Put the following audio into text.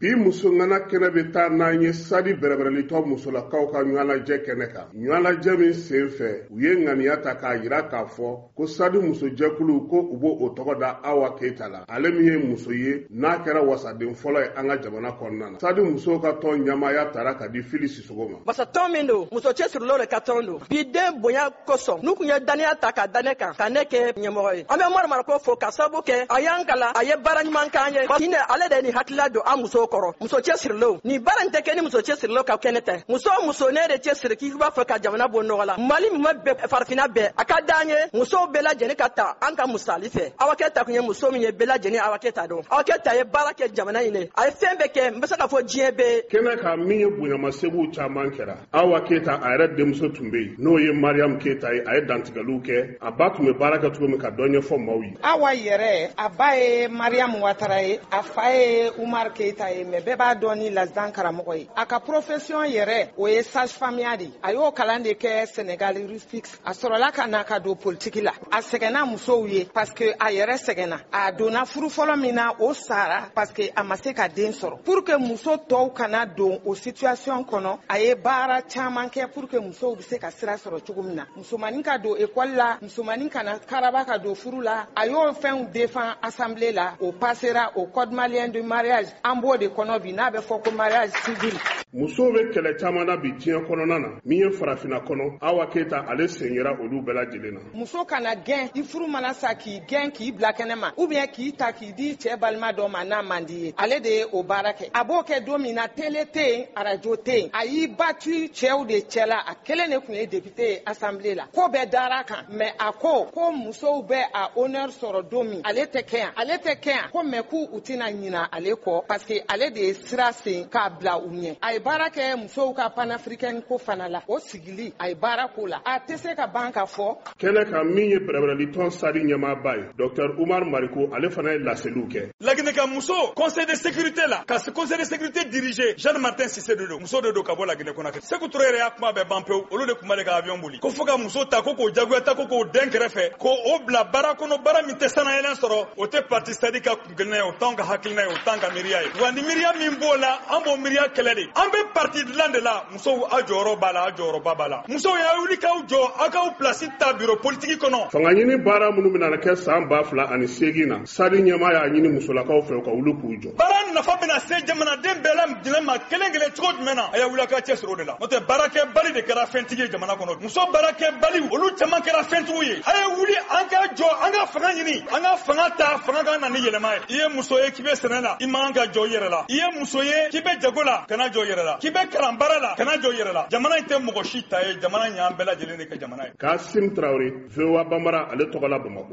Bi musongana kɛnɛ bɛ taa n'an ye Sadi bɛrɛbɛrɛlitɔ musolakaw ka ɲɔgɔnlajɛ kɛnɛ kan, ɲɔgɔnlajɛ min sen fɛ u ye ŋaniya ta k'a jira k'a fɔ ko Sadi musojɛkulu ko u b'o tɔgɔ da Awa Keyita la, ale min ye muso ye n'a kɛra wasaden fɔlɔ ye an ka jamana kɔnɔna na. Sadi musow ka tɔn ɲɛmaaya tara ka di Fili Sisogo ma. Wasatɔn min don, muso cɛsirilenw de ka tɔn don. Bi den bonya kosɔn, n'u tun ye dannaya ta ka da ne kan, ka ne kɛ ɲɛmɔgɔ ye. An bɛ Umaru Mariko fo ka sababu kɛ a y'an kalan, a ye baara ɲuman k'an ye. Hinɛ ale de ye nin hakilila don an musow kɔrɔ. Muso cɛsirilenw, nin baara in tɛ kɛ ni muso cɛsirilenw ka kɛnɛ tɛ. Muso o muso ne de cɛsiri k'i b'a fɛ ka jamana bɔ nɔgɔ la, Mali mumɛ bɛɛ, farafinna bɛɛ, a ka d'an ye musow bɛɛ lajɛlen ka ta an ka misali fɛ. Awa Keyita tun ye muso min ye, bɛɛ lajɛlen Awa Keyita dɔn. Awa Keyita ye baara kɛ jamana in ye, a ye fɛn bɛɛ kɛ, n bɛ se k'a fɔ diɲɛ bɛɛ. Kɛnɛ kan min ye bonyamasegin caman kɛra, Awa Keyita a yɛrɛ denmuso tun bɛ yen, n'o ye Mariam Keyita ye, a ye dantigɛliw kɛ a ba tun bɛ baara kɛ cogo min ka dɔ ɲɛfɔ maaw ye. Awa yɛrɛ, a ba ye Mariam Watara ye, a fa ye Umar Keyita ye, mais bɛɛ b'a dɔn ni Lazidan karamɔgɔ ye. A ka profession yɛrɛ, o ye sage femme ya de ye. A y'o kalan de kɛ Senegal Rustique. A sɔrɔla ka na ka don politiki la. A sɛgɛnna musow ye parce que a yɛrɛ sɛgɛnna. A donna furu fɔlɔ min na, o sara parce que a ma se ka den sɔrɔ. Pour que muso tɔw kana don o situation kɔnɔ, a ye baara caman kɛ pour que musow bɛ se ka sira sɔrɔ cogo min na. Musomanin ka don école la, musomanin kana karaba ka don furu la. A y'o fɛnw défend assemblée la, o passera au code malien de mariage. An b'o de kɔnɔ bi n'a bɛ fɔ ko mariage civil. Musow bɛ kɛlɛ caman na bi diɲɛ kɔnɔna na, min ye farafinna kɔnɔ, Awa Keyita ale sen yera olu bɛɛ lajɛlen na. Muso kana gɛn, i furu mana sa k'i gɛn k'i bila kɛnɛ ma, ou bien k'i ta k'i di cɛ balima dɔ ma n'a man di ye. Ale de ye o baara kɛ. A b'o kɛ don min na, télé tɛ yen, arajo tɛ yen. A y'i battu cɛw de cɛla, a kelen de tun ye député ye assemblée la. Ko bɛɛ dara a kan, mais a ko ko musow bɛ a honneur sɔrɔ don min, ale tɛ kɛ yan, ale tɛ kɛ yan, ko mais k'u tɛna ɲina ale kɔ parce que ale de ye sira sen k'a bila u ɲɛ. A ye baara kɛ musow ka panafricaine ko fana la, o sigili a ye baara k'o la, a tɛ se ka ban ka fɔ. Kɛnɛ kan min ye bɛrɛbɛrɛlitɔn Sadi ɲɛmaaba ye, Docteur Umar Mariko, ale fana ye laseliw kɛ. Laginɛ ka muso conseil de sécurité la, ka conseil de sécurité diriger, Jeanne Martin Sissé de don, muso de don ka bɔ Laginɛ Conakry. Sékou Touré yɛrɛ y'a kuma bɛɛ ban pewu, olu de tun b'ale ka avion boli. Ko fo ka muso ta ko k'o jagoya ta ko k'o den kɛrɛfɛ, ko o bila baara kɔnɔ, baara min tɛ sanayɛlɛn sɔrɔ, o tɛ parti Sadi ka kunkelenna ye, o t'anw ka hakilina ye, o t'an ka miiriya ye. Wa ni miiriya min b'o la, an b'o miiriya kɛlɛ de. An bɛ parti dilan de la, musow aw jɔyɔrɔ b'a la, aw jɔyɔrɔba b'a la. Musow y'a wuli k'aw jɔ, aw k'aw place ta bureau politique kɔnɔ. Fanga ɲini baara minnu bɛna kɛ san 2008 na, Sadi ɲɛmaa y'a ɲini musolakaw fɛ u ka wuli k'u jɔ. Baara nafa bɛna se jamanaden bɛɛ lajɛlen ma kelen kelen cogo jumɛn na, a y'a wuli a ka cɛsiri o de la. N'o tɛ baarakɛbali de kɛra fɛntigi ye jamana kɔnɔ. Muso baarakɛbali olu caman kɛra fɛntigiw ye. A ye wuli an ka jɔ, an ka fanga ɲini, an ka fanga ta, fanga ka na ni yɛlɛma ye. I ye muso ye k'i bɛ sɛnɛ la, i man kan ka jɔ i yɛrɛ la. I ye muso ye k'i bɛ jago la, kana jɔ i yɛrɛ la. K'i bɛ kalan baara la, kana jɔ i yɛrɛ la. Jamana in tɛ mɔgɔ si ta ye, jamana in y'an bɛɛ lajɛlen de ka jamana ye. Kasim Tarawele, VOA Bambara, ale tɔgɔ la Bamakɔ.